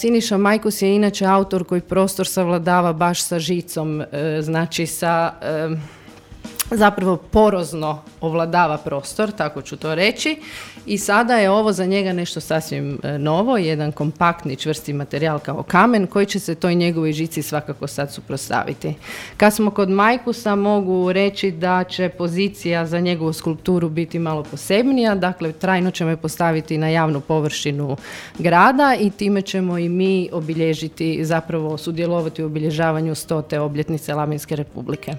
Siniša Majkus je inače autor koji prostor savladava baš sa žicom, znači sa... zapravo porozno ovladava prostor, tako ću to reći, i sada je ovo za njega nešto sasvim novo, jedan kompaktni čvrsti materijal kao kamen koji će se toj njegovoj žici svakako sad suprotstaviti. Kad smo kod Majkusa, mogu reći da će pozicija za njegovu skulpturu biti malo posebnija, dakle trajno ćemo je postaviti na javnu površinu grada i time ćemo i mi obilježiti, zapravo sudjelovati u obilježavanju 100. obljetnice Labinske republike.